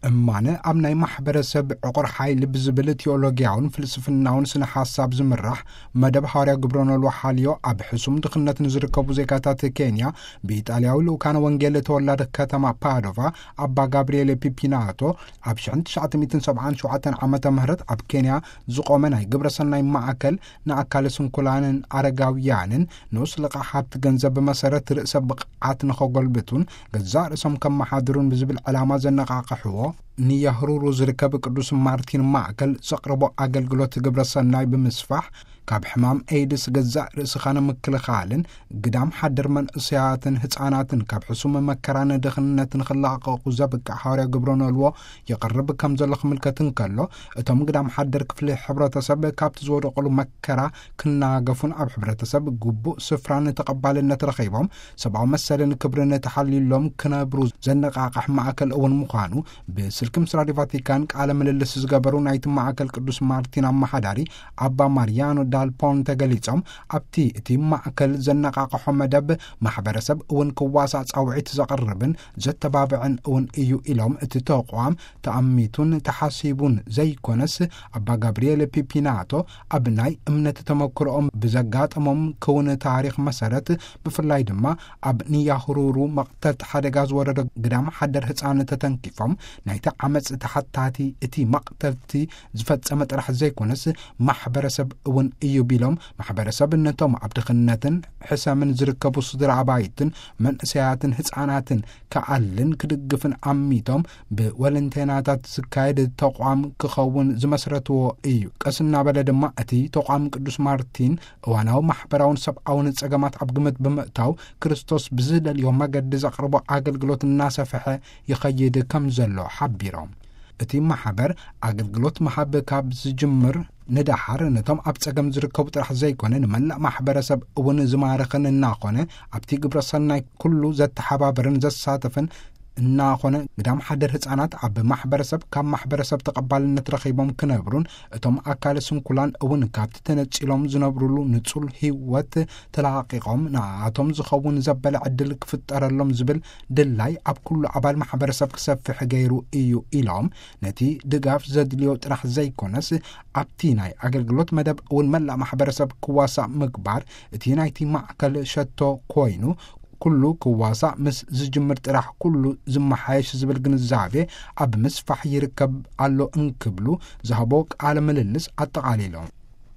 እማነ ኣብ ናይ ማሕበረሰብ ዕቑር ሓይሊ ብዝብል ቲዮሎጊያውን ፍልስፍናውን ስነ ሓሳብ ዝምራሕ መደብ ሃዋርያ ግብረ ኖልዎ ሓልዮ፣ ኣብ ሕሱም ድኽነት ንዝርከቡ ዜጋታት ኬንያ ብኢጣልያዊ ልኡካነ ወንጌል ተወላዲ ከተማ ፓዶቫ ኣባ ጋብርኤል ፒፒናቶ፣ ኣብ ሽሕን ትሽዓተ ሚእትን ሰብዓን ሸውዓተን ዓመተ ምህረት ኣብ ኬንያ ዝቖመ ናይ ግብረ ሰናይ ማእከል ንኣካለ ስንኩላንን ኣረጋውያንን ንኡስ ልቓሕ ሃብቲ ገንዘብ ብመሰረት ርእሰ ብቕዓት ንኸጎልብቱን ገዛእ ርእሶም ከመሓድሩን ብዝብል ዕላማ ዘነቓቕሕዎ ንያህሩሩ ዝርከብ ቅዱስ ማርቲን ማእከል ዘቕርቦ ኣገልግሎት ግብረ ሰናይ ብምስፋሕ፣ ካብ ሕማም ኤድስ ገዛእ ርእስኻ ንምክልኻልን ግዳም ሓደር መንእሰያትን ህጻናትን ካብ ሕሱም መከራን ድኽነትን ንኽላቐቑ ዘብቅዕ ሃዋርያ ግብረ ኖልዎ ይቕርብ ከም ዘሎ ክምልከት እንከሎ፣ እቶም ግዳም ሓደር ክፍሊ ሕብረተሰብ ካብቲ ዝወደቑሉ መከራ ክናገፉን ኣብ ሕብረተሰብ ግቡእ ስፍራን ተቐባልነት ረኺቦም ሰብኣዊ መሰልን ክብርን ተሓልዩሎም ክነብሩ ዘነቓቕሕ ማእከል እውን ምዃኑ ብስልኪ ምስ ራድዮ ቫቲካን ቃለ ምልልስ ዝገበሩ ናይቲ ማእከል ቅዱስ ማርቲን ኣመሓዳሪ ኣባ ማርያኖ ዳል ፖንተ ገሊጾም፣ ኣብቲ እቲ ማእከል ዘነቓቕሖ መደብ ማሕበረሰብ እውን ክዋሳእ ጻውዒት ዘቕርብን ዘተባብዕን እውን እዩ ኢሎም፣ እቲ ተቋም ተኣሚቱን ተሓሲቡን ዘይኮነስ፣ ኣባ ጋብርኤል ፒፒናቶ ኣብ ናይ እምነት ተመክሮኦም ብዘጋጠሞም ክውን ታሪኽ መሰረት፣ ብፍላይ ድማ ኣብ ንያህሩሩ መቕተልቲ ሓደጋ ዝወረዶ ግዳም ሓደር ህጻን ተተንኪፎም ናይቲ ዓመጽ ተሓታቲ እቲ መቕተልቲ ዝፈጸመ ጥራሕ ዘይኮነስ ማሕበረሰብ እውን እዩ ቢሎም፣ ማሕበረሰብ ነቶም ኣብ ድኽነትን ሕሰምን ዝርከቡ ስድራ ኣባይትን መንእሰያትን ህጻናትን ክኣልን ክድግፍን ኣሚቶም ብወለንቴናታት ዝካየድ ተቋም ክኸውን ዝመስረትዎ እዩ። ቀስ እናበለ ድማ እቲ ተቋም ቅዱስ ማርቲን እዋናዊ ማሕበራውን ሰብኣውን ጸገማት ኣብ ግምት ብምእታው ክርስቶስ ብዝደልዮ መገዲ ዘቕርቦ ኣገልግሎት እናሰፍሐ ይኸይድ ከም ዘሎ ሓቢሮም። እቲ ማሕበር ኣገልግሎት ምሃብ ካብ ዝጅምር ንደሓር ነቶም ኣብ ጸገም ዝርከቡ ጥራሕ ዘይኮነ ንመላእ ማሕበረሰብ እውን ዝማርኽን እናኾነ ኣብቲ ግብረ ሰናይ ኩሉ ዘተሓባብርን ዘሳተፍን እናኾነ ግዳም ሓደር ህጻናት ኣብ ማሕበረሰብ ካብ ማሕበረሰብ ተቐባልነት ረኺቦም ክነብሩን እቶም ኣካለ ስንኩላን እውን ካብቲ ተነጺሎም ዝነብሩሉ ንጹል ህይወት ተላቒቖም ንኣቶም ዝኸውን ዘበለ ዕድል ክፍጠረሎም ዝብል ድላይ ኣብ ኩሉ ኣባል ማሕበረሰብ ክሰፍሕ ገይሩ እዩ ኢሎም፣ ነቲ ድጋፍ ዘድልዮ ጥራሕ ዘይኮነስ ኣብቲ ናይ ኣገልግሎት መደብ እውን መላእ ማሕበረሰብ ክዋሳእ ምግባር እቲ ናይቲ ማእከል ሸቶ ኮይኑ፣ ኩሉ ክዋሳእ ምስ ዝጅምር ጥራሕ ኩሉ ዝመሓየሽ ዝብል ግንዛቤ ኣብ ምስፋሕ ይርከብ ኣሎ እንክብሉ ዝሃቦ ቃለ ምልልስ ኣጠቓሊሎም።